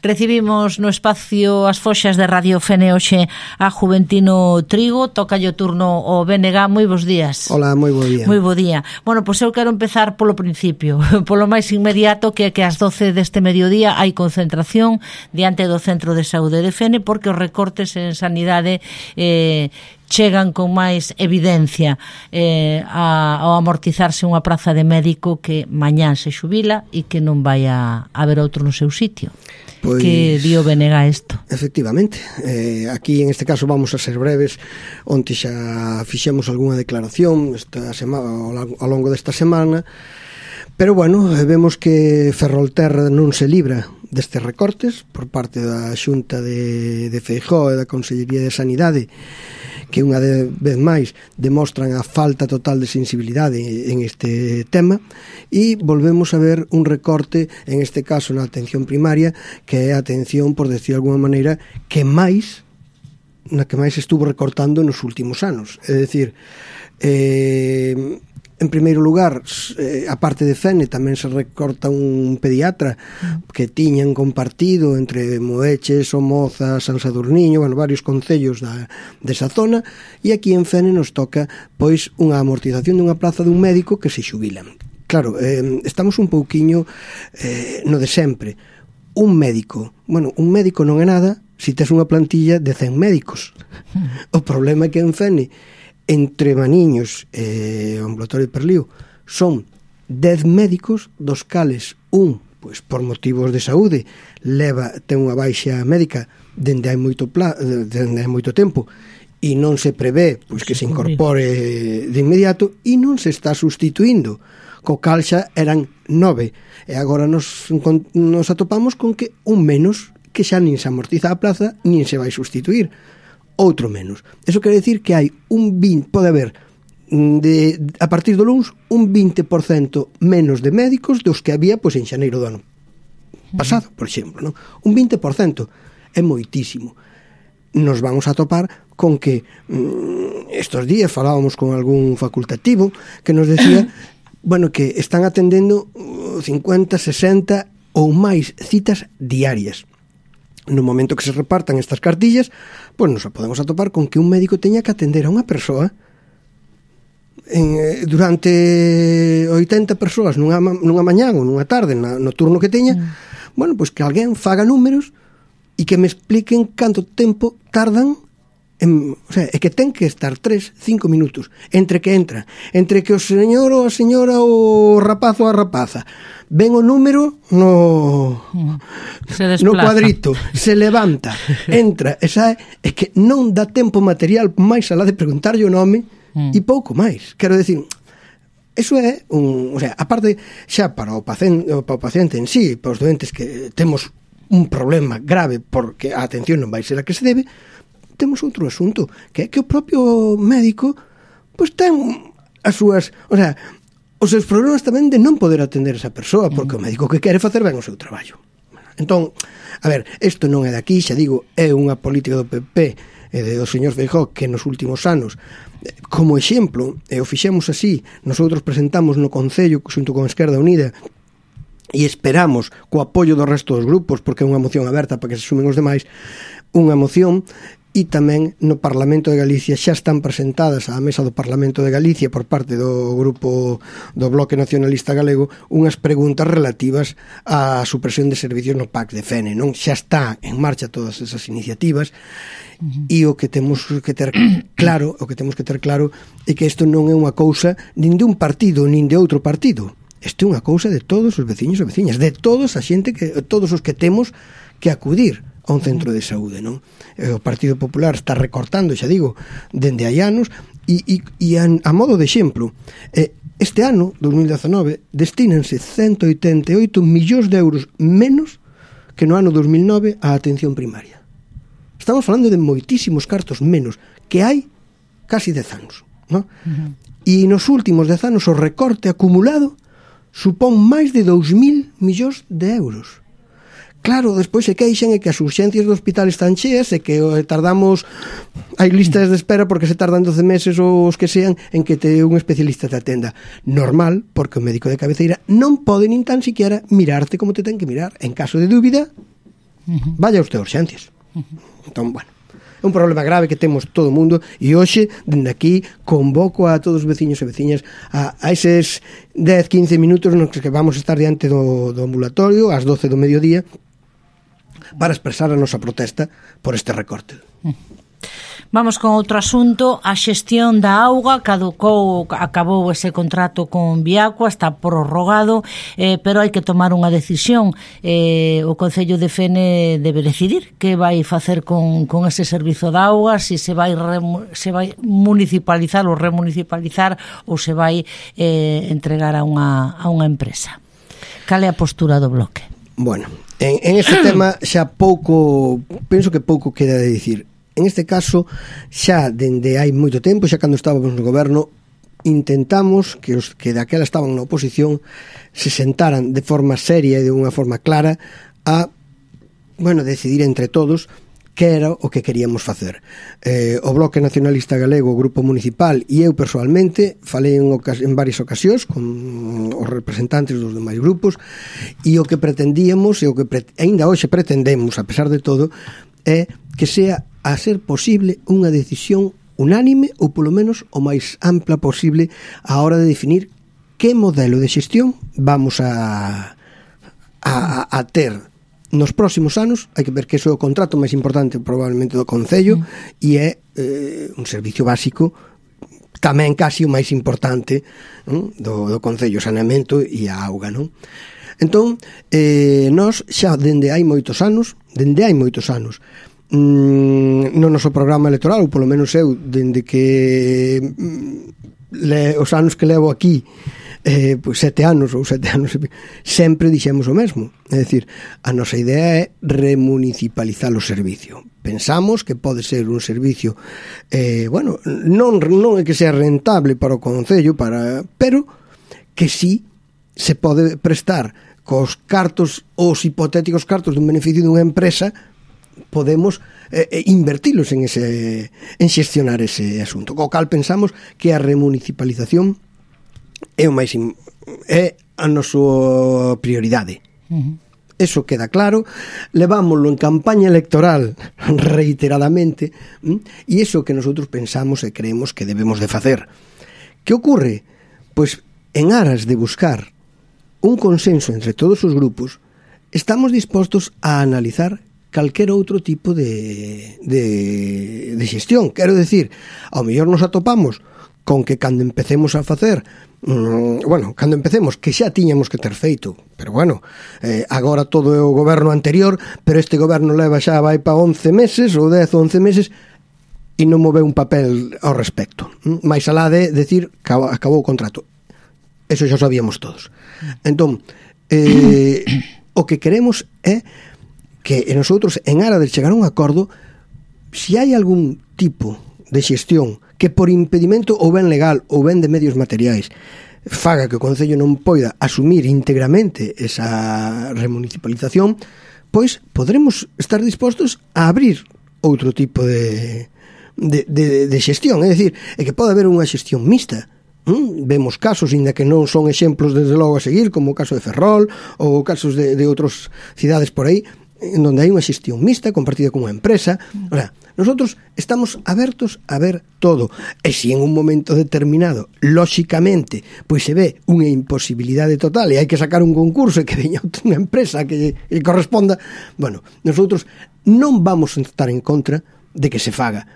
Recibimos no espacio As Foxas de Radio Fene hoxe a Juventino Trigo. Toca o turno o BNG. Moi bons días. Hola, moi bo día. Moi bo día. Bueno, pois eu quero empezar polo principio, polo máis inmediato, que é que ás 12 deste mediodía hai concentración diante do Centro de Saúde de Fene, porque os recortes en sanidade chegan con máis evidencia ao amortizarse unha praza de médico que mañán se xubila e que non vai a haber outro no seu sitio. Pois, que dio BNG isto? Efectivamente, aquí en este caso vamos a ser breves. Onte xa fixemos algunha declaración ao longo desta semana, pero bueno, vemos que Ferrolterra non se libra destes recortes por parte da Xunta de Feijóo e da Consellería de Sanidade, que unha vez máis demostran a falta total de sensibilidade en este tema, e volvemos a ver un recorte, en este caso na atención primaria, que é a atención, por decir de alguma maneira, que máis estuvo recortando nos últimos anos. É dicir, en primeiro lugar, a parte de Fene tamén se recorta un pediatra que tiñan compartido entre Moeche, Somoza, San Sadurniño, bueno, varios concellos desa zona, e aquí en Fene nos toca pois unha amortización dunha plaza dun médico que se xubila. Claro, estamos un pouquiño no de sempre. Un médico non é nada se tes unha plantilla de 100 médicos. O problema é que en Fene, entre Maniños e o ambulatorio de Perlío, son 10 médicos, dos cales un, pois por motivos de saúde, ten unha baixa médica dende hai moito tempo e non se prevé pois que se incorpore de inmediato, e non se está sustituindo, co cal xa eran 9, e agora nos atopamos con que un menos, que xa nin se amortiza a plaza nin se vai sustituir, outro menos. Eso quere decir que hai pode haber a partir do luns un 20% menos de médicos dos que había pois en xaneiro do ano pasado, por exemplo, non? Un 20% é moitísimo. Nos vamos a topar con que estes días falábamos con algún facultativo que nos decía bueno, que están atendendo 50, 60 ou máis citas diarias. No momento que se repartan estas cartillas, pois nos podemos atopar con que un médico teña que atender a unha persoa durante 80 persoas nunha mañá ou nunha tarde, no turno que teña. Bueno, pois que alguén faga números e que me expliquen canto tempo tardan, o sea, é que ten que estar 3-5 minutos entre que entra, entre que o señor ou a señora ou o rapaz ou a rapaza ven o número no cuadrito, se levanta, entra e sae, é que non dá tempo material máis alá de preguntarlle o nome e pouco máis. Quero decir, eso é o sea, aparte xa para o paciente en sí, para os doentes que temos un problema grave porque a atención non vai ser a que se debe, temos outro asunto, que é que o propio médico pois ten as súas, o sea, os seus problemas tamén de non poder atender esa persoa, porque o médico que quere facer ben o seu traballo. Entón, a ver, isto non é daqui, xa digo, é unha política do PP e do señor Feijóo que nos últimos anos, como exemplo, e o fixemos así, nosotros presentamos no Concello xunto con Esquerda Unida e esperamos co apoio do resto dos grupos, porque é unha moción aberta para que se sumen os demais, unha moción. E tamén no Parlamento de Galicia xa están presentadas á mesa do Parlamento de Galicia por parte do grupo do Bloque Nacionalista Galego unhas preguntas relativas á supresión de servicios no PAC de Fene, non? Xa está en marcha todas esas iniciativas e o que temos que ter claro é que isto non é unha cousa nin de un partido nin de outro partido. Isto é unha cousa de todos os veciños e veciñas, de todos a xente todos os que temos que acudir a un centro de saúde, non? O Partido Popular está recortando, xa digo, dende hai anos e a modo de exemplo, este ano, 2019, destínanse 188 millóns de euros menos que no ano 2009 á atención primaria. Estamos falando de moitísimos cartos menos que hai casi 10 anos, non? E nos últimos 10 anos o recorte acumulado supón máis de 2.000 millóns de euros. Claro, despois se queixan é que as urxencias do hospital están cheas e que tardamos, hai listas de espera porque se tardan 12 meses ou os que sean en que un especialista te atenda. Normal, porque o médico de cabeceira non pode nin tan siquiera mirarte como te ten que mirar. En caso de dúbida, Vaya usted a urxencias. Entón, bueno, é un problema grave que temos todo o mundo, e hoxe, dende aquí, convoco a todos os veciños e veciñas a eses 10-15 minutos nos que vamos a estar diante do ambulatorio ás 12 do mediodía para expresar a nosa protesta por este recorte. Vamos con outro asunto, a xestión da auga. Acabou ese contrato con Viacua, está prorrogado, pero hai que tomar unha decisión. O Concello de Fene debe decidir que vai facer con ese servizo da auga, se vai municipalizar ou remunicipalizar ou se vai entregar a unha empresa. Cal é a postura do Bloque? Bueno, en este tema xa penso que pouco queda de dicir. En este caso, xa dende hai moito tempo, xa cando estábamos no goberno, intentamos que os que daquela estaban na oposición se sentaran de forma seria e de unha forma clara a, decidir entre todos que era o que queríamos facer. O Bloque Nacionalista Galego, o Grupo Municipal e eu persoalmente falei en varias ocasións con os representantes dos demais grupos, e o que pretendíamos e o que aínda hoxe pretendemos, a pesar de todo, é que sea a ser posible unha decisión unánime ou polo menos o máis ampla posible a hora de definir que modelo de xestión vamos a ter nos próximos anos. Hai que ver que iso é o contrato máis importante probablemente do Concello, e é un servicio básico tamén casi o máis importante do Concello, saneamento e a auga, non? Entón, nós xa dende hai moitos anos no noso programa electoral, ou polo menos eu, dende que os anos que levo aquí, 7 anos, sempre dixemos o mesmo. É dicir, a nosa idea é remunicipalizar o servicio. Pensamos que pode ser un servicio non é que sea rentable para o Concello, pero que sí se pode prestar cos cartos, os hipotéticos cartos dun beneficio dunha empresa, podemos invertilos en xestionar ese asunto. Co cal pensamos que a remunicipalización é a nosa prioridade. Eso queda claro, levámoslo en campaña electoral reiteradamente, e iso que nosotros pensamos e creemos que debemos de facer. Que ocurre? Pois en aras de buscar un consenso entre todos os grupos, estamos dispostos a analizar calquer outro tipo de xestión. Quero decir, ao mellor nos atopamos con que cando empecemos a facer que xa tiñamos que ter feito, pero agora todo é o goberno anterior, pero este goberno leva xa vai para 11 meses ou 10 ou 11 meses e non move un papel ao respecto, máis alá de decir que acabou o contrato. Eso xa sabíamos todos. Entón, o que queremos é que nosotros, en aras de chegar a un acordo, se hai algún tipo de xestión que por impedimento ou ben legal ou ben de medios materiais faga que o Concello non poida asumir íntegramente esa remunicipalización, pois podremos estar dispostos a abrir outro tipo de xestión. É dicir, é que pode haber unha xestión mixta. Vemos casos, ainda que non son exemplos desde logo a seguir, como o caso de Ferrol ou casos de outras cidades por aí, en donde hai unha xestión mixta compartida con unha empresa. O sea, nosotros estamos abertos a ver todo, e se en un momento determinado lóxicamente pois se ve unha imposibilidade total e hai que sacar un concurso e que veña unha empresa que corresponda, nosotros non vamos a estar en contra de que se faga.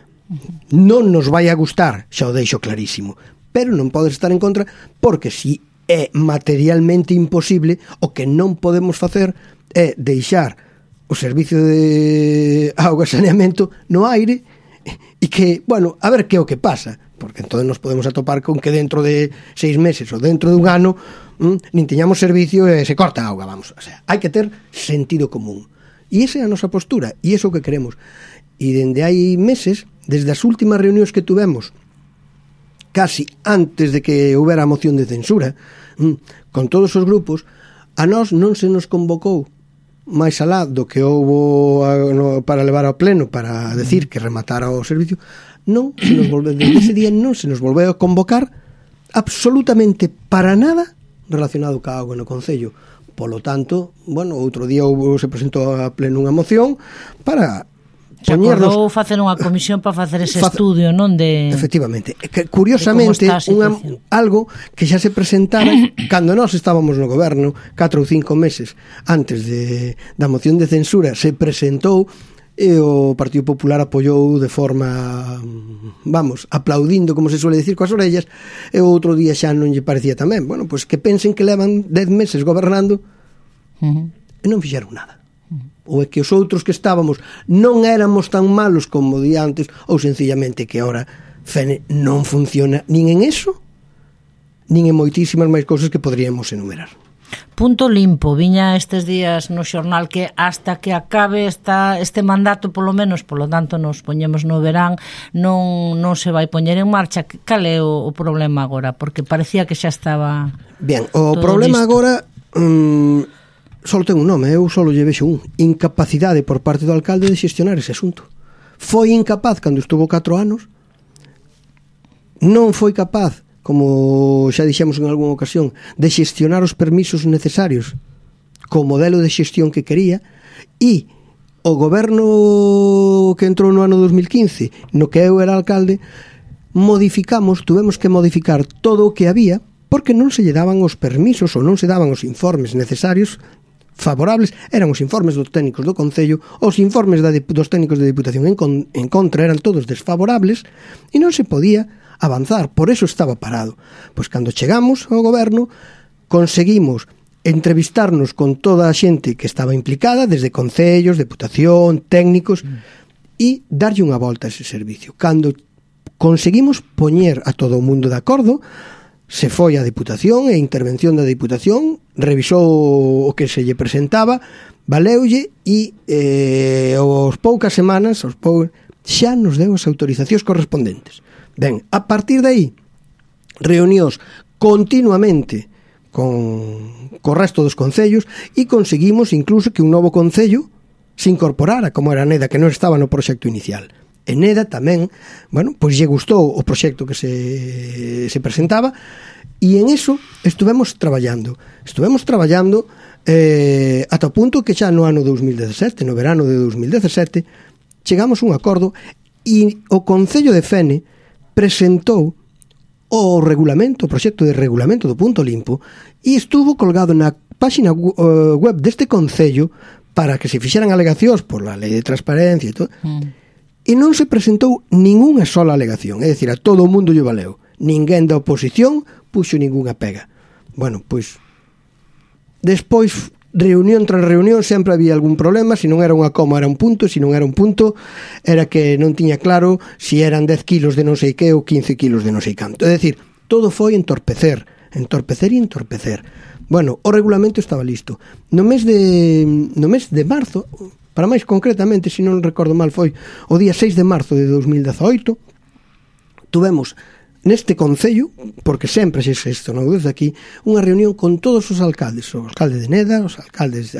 Non nos vai a gustar, xa o deixo clarísimo, pero non podes estar en contra, porque si é materialmente imposible, o que non podemos facer é deixar o servicio de auga e saneamento no aire e que, a ver que é o que pasa, porque entón nos podemos atopar con que dentro de 6 meses ou dentro de un ano nin teñamos servicio e se corta a auga, hai que ter sentido común, e esa é a nosa postura e iso que queremos. E dende hai meses, desde as últimas reunións que tuvemos casi antes de que houbera a moción de censura con todos os grupos, a nós non se nos convocou máis alá do que houbo para levar ao pleno para decir que rematara o servicio. Desde ese día non se nos volveu a convocar absolutamente para nada relacionado ca auga no Concello, Polo tanto, bueno, outro día se presentou a pleno unha moción para se acordou facer unha comisión para facer ese estudio, non de... Efectivamente, que curiosamente algo que xa se presentara cando nós estábamos no goberno 4 ou 5 meses antes da moción de censura, se presentou e o Partido Popular apoiou de forma, vamos, aplaudindo, como se suele decir, coas orellas, e outro día xa non lle parecía tamén. Bueno, pois que pensen que levan 10 meses gobernando e non fixeron nada. Ou é que os outros que estábamos non éramos tan malos como de antes, ou sencillamente que ahora Fene non funciona nin en eso, nin en moitísimas máis cousas que poderíamos enumerar. Punto limpo, viña estes días no xornal que hasta que acabe este mandato, polo menos, polo tanto nos poñemos no verán, non se vai poñer en marcha. Cal é o problema agora? Porque parecía que xa estaba... Bien, o problema listo. Agora só ten un nome, eu só lle vexo un: incapacidade por parte do alcalde de xestionar ese asunto. Foi incapaz cando estuvo 4 anos, non foi capaz, como xa dixemos en algunha ocasión, de xestionar os permisos necesarios co modelo de xestión que quería, e o goberno que entrou no ano 2015, no que eu era alcalde, tuvemos que modificar todo o que había, porque non se lle daban os permisos ou non se daban os informes necesarios favorables. Eran os informes dos técnicos do Concello, os informes dos técnicos de Diputación en contra eran todos desfavorables e non se podía avanzar, por eso estaba parado. Pois cando chegamos ao goberno conseguimos entrevistarnos con toda a xente que estaba implicada, desde concellos, deputación, técnicos, e darlle unha volta a ese servicio. Cando conseguimos poñer a todo o mundo de acordo, se foi a Diputación e a intervención da Diputación, revisou o que se lle presentaba, valeulle e aos poucas semanas xa nos deu as autorizacións correspondentes. Ben, a partir de aí, reunións continuamente co resto dos concellos e conseguimos incluso que un novo concello se incorporara, como era Neda, que non estaba no proxecto inicial. En Neda tamén, bueno, pois lle gustou o proxecto que se presentaba, e en eso estuvemos traballando ata o punto que xa no ano 2017, no verano de 2017, chegamos a un acordo e o Concello de Fene presentou o proxecto de regulamento do punto limpo, e estuvo colgado na página web deste Concello para que se fixeran alegacións por la lei de transparencia e todo, e non se presentou ningunha sola alegación, é dicir, a todo o mundo lle valeu, ninguén da oposición puxo ningunha pega. Bueno, pois despois, reunión tras reunión, sempre había algún problema. Se non era unha coma era un punto, se non era un punto era que non tiña claro se eran 10 kilos de non sei que ou 15 kilos de non sei canto. É dicir, todo foi entorpecer. Bueno, o regulamento estaba listo. No mes de marzo, para máis concretamente, se non recordo mal, foi o día 6 de marzo de 2018, tuvemos neste Concello, porque sempre se xestionou desde aquí, unha reunión con todos os alcaldes, o alcalde de Neda, a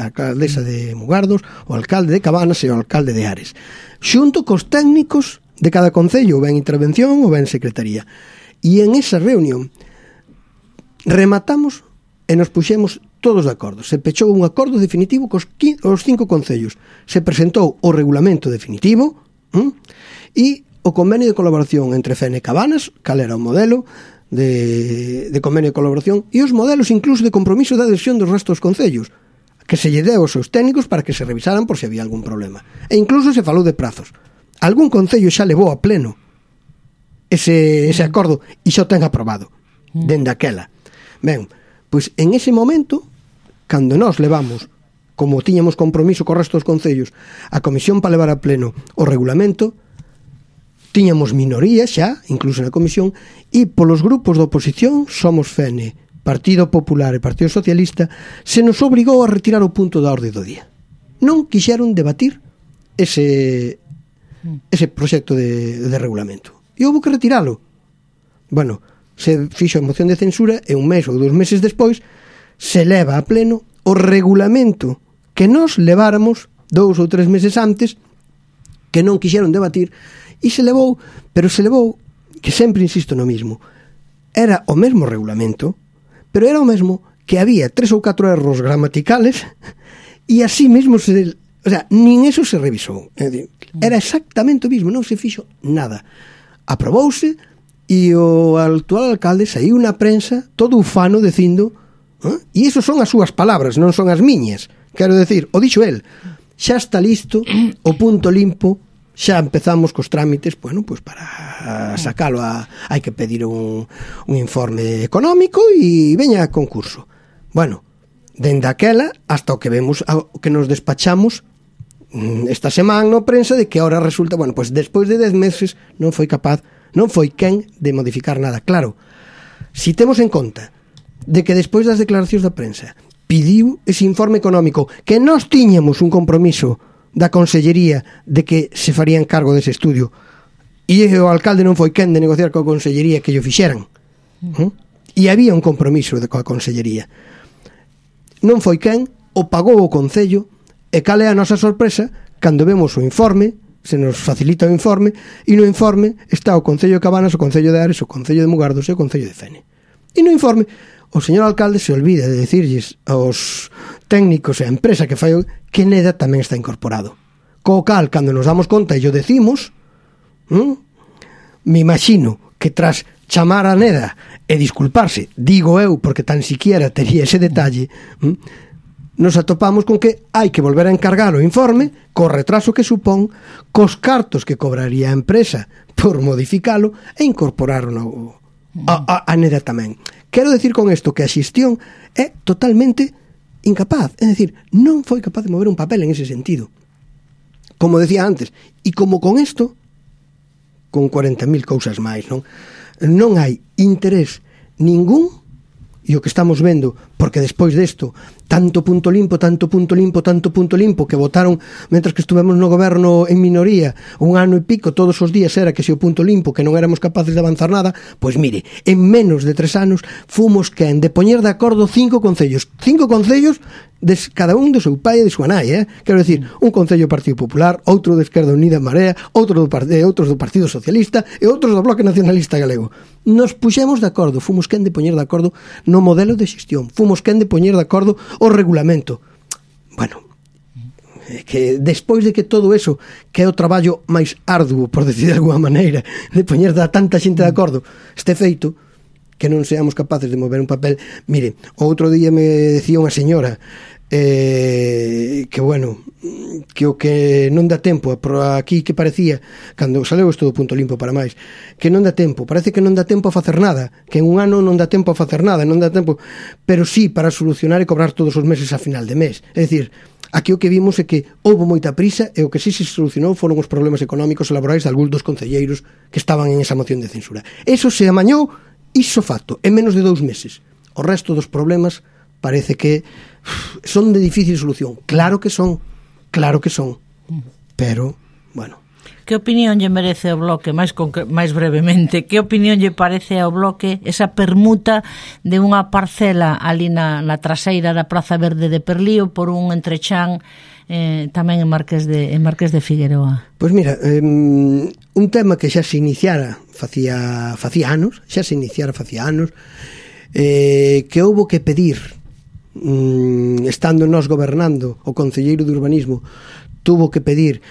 alcaldesa de Mugardos, o alcalde de Cabanas e o alcalde de Ares, xunto cos técnicos de cada concello, ou ben intervención ou ben secretaría. E en esa reunión rematamos e nos puxemos todos de acordo. Se pechou un acordo definitivo cos 5 concellos. Se presentou o regulamento definitivo e o convenio de colaboración entre Fene e Cabanas, cal era o modelo de convenio de colaboración, e os modelos incluso de compromiso de adhesión dos restos dos concellos, que se lle deu aos seus técnicos para que se revisaran por se había algún problema. E incluso se falou de prazos. Algún concello xa levou a pleno ese acordo e xa o ten aprobado dende aquela. Ben, pois en ese momento, cando nós levamos, como tiñamos compromiso co resto dos concellos, a comisión para levar a pleno o regulamento, tiñamos minoría xa, incluso na comisión, e polos grupos de oposición, Somos Fene, Partido Popular e Partido Socialista, se nos obrigou a retirar o punto da orde do día. Non quixeron debatir ese proxecto de regulamento. E houve que retiralo. Bueno, se fixo a moción de censura e un mes ou 2 meses despois se leva a pleno o regulamento que nos leváramos 2 ou 3 meses antes, que non quixeron debatir. E se levou, que sempre insisto no mismo, era o mesmo regulamento, pero era o mesmo que había 3 ou 4 erros gramaticales e así mesmo o sea, nin eso se revisou. Era exactamente o mismo, non se fixo nada. Aprobouse e o actual alcalde saiu na prensa todo ufano dicindo, e iso son as súas palabras, non son as miñas. Quero decir, o dixo el, xa está listo o punto limpo, xa empezamos cos trámites, bueno, pues para sacalo hai que pedir un informe económico e veña a concurso. Bueno, dende aquela hasta o que vemos, o que nos despachamos esta semana no prensa de que ahora resulta, bueno, pues despois de 10 meses non foi quen de modificar nada. Claro, si temos en conta de que despois das declaracións da prensa pidiu ese informe económico, que nós tiñamos un compromiso da Consellería de que se farían cargo dese estudio, e o alcalde non foi quen de negociar coa Consellería que llo fixeran, e había un compromiso coa Consellería, non foi quen, o pagou o Concello. E cal é a nosa sorpresa cando vemos o informe, se nos facilita o informe, e no informe está o Concello de Cabanas, o Concello de Ares, o Concello de Mugardos e o Concello de Fene. E no informe o señor alcalde se olvida de decirlles aos técnicos e a empresa que fai que Neda tamén está incorporado. Co cal, cando nos damos conta e o decimos, me imagino que tras chamar a Neda e disculparse, digo eu, porque tan siquiera tería ese detalle, nos atopamos con que hai que volver a encargar o informe co retraso que supón, cos cartos que cobraría a empresa por modificalo e incorporaron a Neda tamén. Quero decir con isto que a xestión é totalmente incapaz, é dicir, non foi capaz de mover un papel en ese sentido. Como decía antes, e como con isto, con 40.000 cousas máis, non hai interés ningún. E o que estamos vendo, porque despois desto tanto punto limpo que votaron mentras que estuvemos no goberno en minoría 1 ano e pico, todos os días era que se o punto limpo, que non éramos capaces de avanzar nada, pois mire, en menos de 3 anos fomos quen de poñer de acordo 5 concellos cada un do seu pai e de súa nai, quero decir, un concello do Partido Popular, outro de Esquerda Unida en Marea, outros do Partido Socialista e outros do Bloque Nacionalista Galego. Nos puxemos de acordo, fomos quen de poñer de acordo no modelo de xestión, fomos quen de poñer de acordo o regulamento. Bueno, que despois de que todo eso, que é o traballo máis arduo, por decir de alguma maneira, de poñer a tanta xente de acordo, este feito, que non seamos capaces de mover un papel. Mire, outro día me decía unha señora que bueno, que o que non dá tempo, por aquí que parecía cando saleu isto do punto limpo para máis, que non dá tempo, parece que non dá tempo a facer nada, que en 1 ano non dá tempo a facer nada, non dá tempo, pero sí para solucionar e cobrar todos os meses a final de mes. É dicir, aquí o que vimos é que houve moita prisa e o que sí se solucionou foron os problemas económicos e laborais de algúns dos concelleiros que estaban en esa moción de censura. Eso se amañou iso facto en menos de 2 meses. O resto dos problemas parece que son de difícil solución. Claro que son, pero, bueno. Que opinión lle merece ao Bloque, máis brevemente, que opinión lle parece ao Bloque esa permuta de unha parcela ali na traseira da Praza Verde de Perlío por un entrechán tamén en Marqués de Figueroa? Pois mira, un tema que xa se iniciara facía anos, que houbo que pedir, estando nós gobernando, o concelleiro de urbanismo tuvo que pedir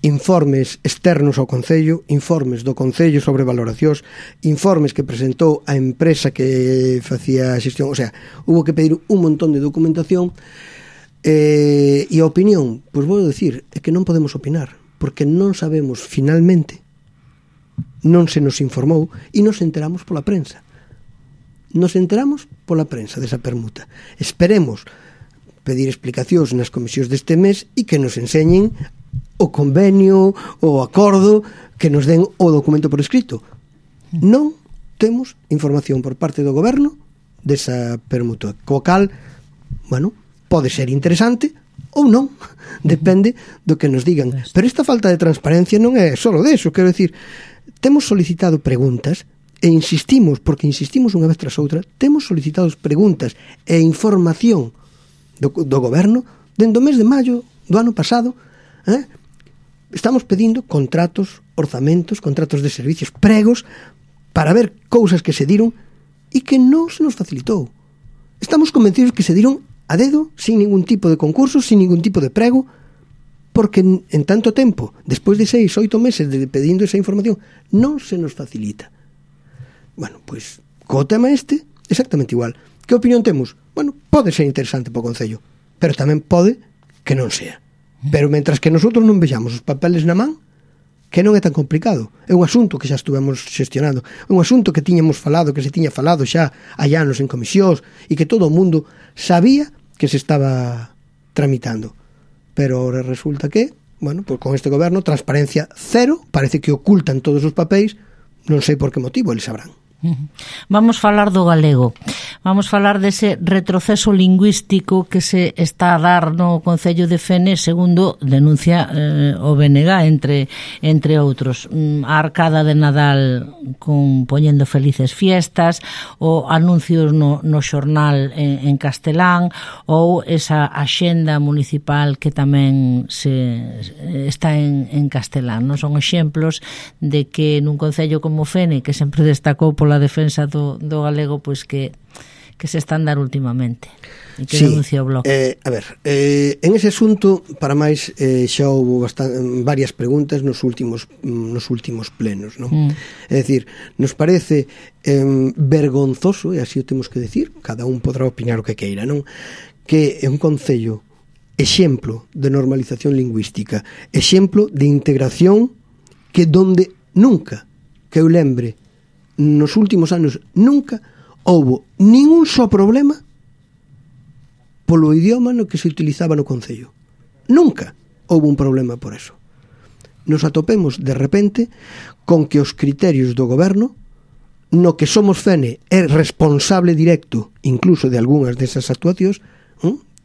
informes externos ao Concello, informes do Concello sobre valoracións, informes que presentou a empresa que facía a xestión, o sea, hubo que pedir un montón de documentación, e a opinión, pois vou dicir, é que non podemos opinar, porque non sabemos finalmente, non se nos informou e nos enteramos pola prensa. Nos enteramos pola prensa desa permuta. Esperemos pedir explicacións nas comisións deste mes e que nos enseñen o convenio, o acordo, que nos den o documento por escrito. Non temos información por parte do goberno desa permuta, co cal, bueno, pode ser interesante ou non, depende do que nos digan. Pero esta falta de transparencia non é só deso, quero decir, temos solicitado preguntas e insistimos, porque insistimos unha vez tras outra, temos solicitado preguntas e información do goberno dende o mes de maio do ano pasado. Estamos pedindo contratos, orzamentos, contratos de servicios, pregos, para ver cousas que se diron e que non se nos facilitou. Estamos convencidos que se dieron a dedo, sin ningún tipo de concurso, sin ningún tipo de prego, porque en tanto tempo, despois de 6, 8 meses de pedindo esa información, non se nos facilita. Bueno, pois, co tema exactamente igual. Que opinión temos? Bueno, pode ser interesante para o Concello, pero tamén pode que non sea. Pero mentras que nosotros non vexamos os papeles na man, que non é tan complicado. É un asunto que xa estuvemos xestionando. É un asunto que tiñamos falado, que se tiña falado xa hai anos en comisións e que todo o mundo sabía que se estaba tramitando. Pero resulta que, bueno, pues con este goberno, transparencia cero, parece que ocultan todos os papéis, non sei por que motivo, eles sabrán. Vamos falar do galego. Vamos falar dese retroceso lingüístico que se está a dar no Concello de Fene, segundo denuncia o BNG, entre outros. A arcada de Nadal poñendo felices fiestas, ou anuncios no xornal en castelán, ou esa axenda municipal que tamén está en castelán. Non son exemplos de que nun Concello como Fene, que sempre destacou pola defensa do galego, pois que se están dar últimamente e que denuncia o Bloque. A ver, en ese asunto, para máis, xa houve varias preguntas nos últimos plenos, non? É dicir, nos parece vergonzoso, e así o temos que decir, cada un podrá opinar o que queira, non? Que é un concello exemplo de normalización lingüística, exemplo de integración, que donde nunca, que eu lembre, nos últimos anos nunca houbo ningún só problema polo idioma no que se utilizaba no Concello. Nunca houbo un problema por eso. Nos atopemos de repente con que os criterios do goberno, no que Somos Fene é responsable directo incluso de algunhas desas actuacións,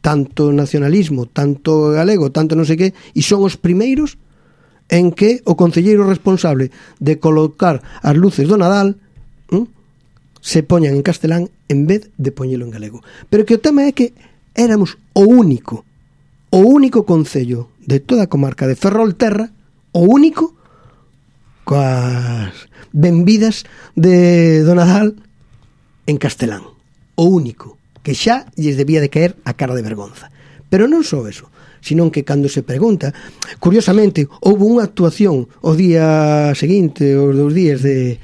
tanto nacionalismo, tanto galego, tanto non sei que, e son os primeiros en que o concelleiro responsable de colocar as luces do Nadal se poñan en castelán en vez de poñelo en galego. Pero que o tema é que éramos o único concello de toda a comarca de Ferrolterra, o único coas benvidas de do Nadal en castelán. O único, que xa lles debía de caer a cara de vergonza. Pero non só eso, senón que cando se pregunta, curiosamente, houve unha actuación o día seguinte, os 2 días de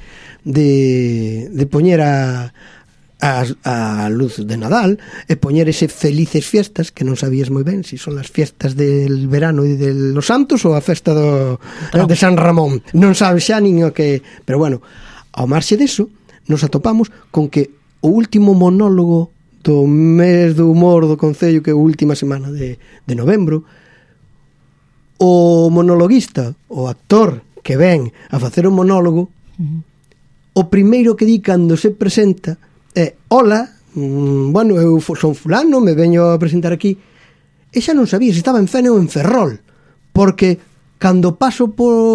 poñer a luz de Nadal e poñer ese felices fiestas, que non sabías moi ben se son as fiestas del verano e de los santos ou a festa de San Ramón, non sabes xa nin o que... Pero bueno, ao marxe deso, nos atopamos con que o último monólogo do mes do humor do Concello, que é a última semana de novembro, o monologuista, o actor que ven a facer un monólogo, o primeiro que di cando se presenta é: hola, bueno, eu son fulano, me veño a presentar aquí. E xa non sabía se estaba en Fene ou en Ferrol, porque cando paso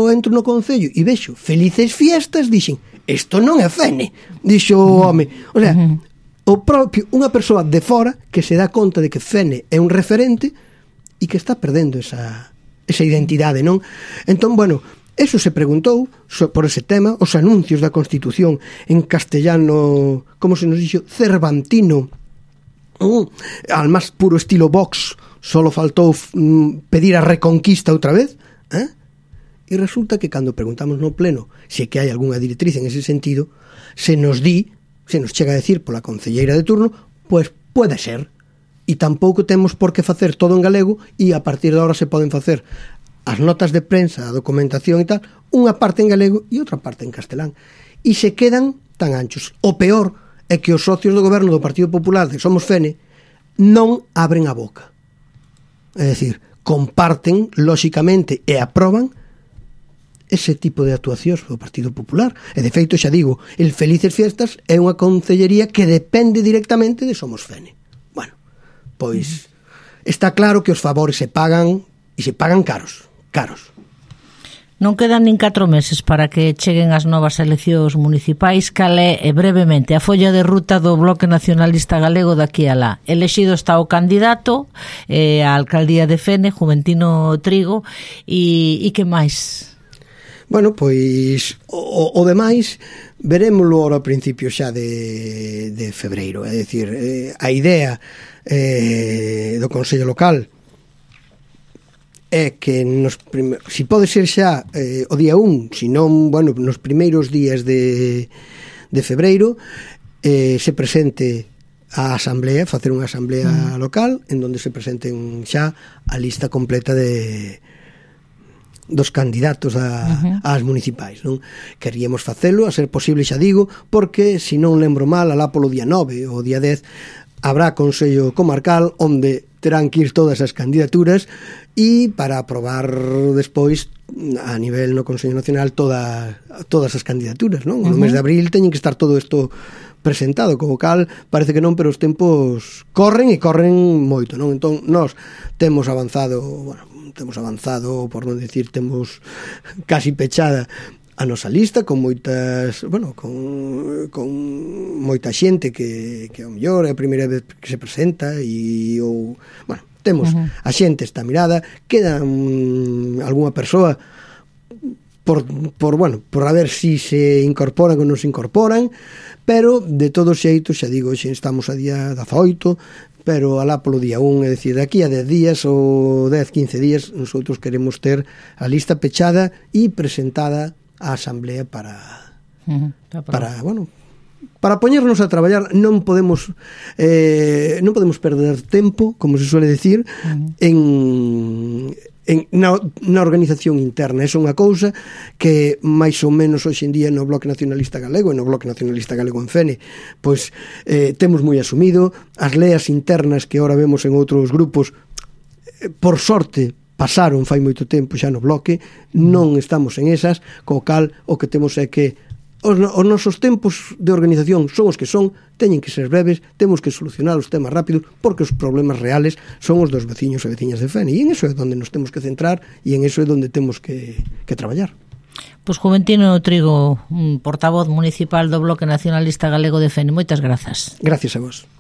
entro no Concello e vexo felices fiestas, dixen: isto non é Fene, dixo o home. O sea, o propio, unha persoa de fora que se dá conta de que Fene é un referente e que está perdendo esa identidade, non? Entón, bueno, eso se preguntou por ese tema, os anuncios da Constitución en castellano, como se nos dixo, cervantino, al máis puro estilo Vox, solo faltou pedir a reconquista outra vez, e resulta que cando preguntamos no pleno se que hai algunha directriz en ese sentido, se nos chega a decir pola concelleira de turno, pois pode ser, e tampouco temos por que facer todo en galego, e a partir de agora se poden facer as notas de prensa, a documentación e tal, unha parte en galego e outra parte en castelán, e se quedan tan anchos. O peor é que os socios do goberno do Partido Popular de Somos Fene non abren a boca, é dicir, comparten lóxicamente e aproban ese tipo de actuacións do Partido Popular. E de feito, xa digo, el Felices Fiestas é unha concellería que depende directamente de Somos Fene. Bueno, pois está claro que os favores se pagan, e se pagan caros. Non quedan nin 4 meses para que cheguen as novas eleccións municipais. Cal é, brevemente, a folla de ruta do Bloque Nacionalista Galego daqui a lá? Elexido está o candidato á alcaldía de Fene, Juventino Trigo, e que máis? Bueno, pois o demais verémoslo ahora a principio xa de febreiro, é dicir, a idea do Consello Local é que si pode ser xa o día 1, senón, bueno, nos primeiros días de febreiro se presente a asamblea, facer unha asamblea local en donde se presenten xa a lista completa dos candidatos ás municipais, non? Queríamos facelo, a ser posible, xa digo, porque, se non lembro mal, alá polo día 9 ou día 10 habrá Consello Comarcal onde terán que ir todas as candidaturas e para aprobar despois a nivel no Consello Nacional todas as candidaturas, non? No mes de abril teñen que estar todo isto presentado, como cal parece que non, pero os tempos corren e corren moito, non? Entón, nós temos avanzado, por non decir, temos casi pechada a nosa lista con moitas, bueno, con moita xente que ao mellor é a primeira vez que se presenta ou, bueno, temos a xente está mirada, queda algunha persoa por a ver si se incorporan ou non se incorporan, pero de todos xeitos, xa digo, xa estamos a día 18, pero alá polo día 1, é dicir, daqui a 10 días ou 10-15 días, nosotros queremos ter a lista pechada e presentada á asamblea para poñernos a traballar. Non podemos perder tempo, como se suele decir, na organización interna. É unha cousa que máis ou menos hoxe en día no Bloque Nacionalista Galego e no Bloque Nacionalista Galego en Fene pois temos moi asumido. As leas internas que ahora vemos en outros grupos, por sorte pasaron fai moito tempo xa no Bloque, non estamos en esas, co cal o que temos é que os nosos tempos de organización son os que son, teñen que ser breves, temos que solucionar os temas rápidos, porque os problemas reales son os dos veciños e veciñas de Fene, e en eso é onde nos temos que centrar e en eso é onde temos que traballar. Pois Juventino Trigo, portavoz municipal do Bloque Nacionalista Galego de Fene, moitas grazas. Gracias a vos.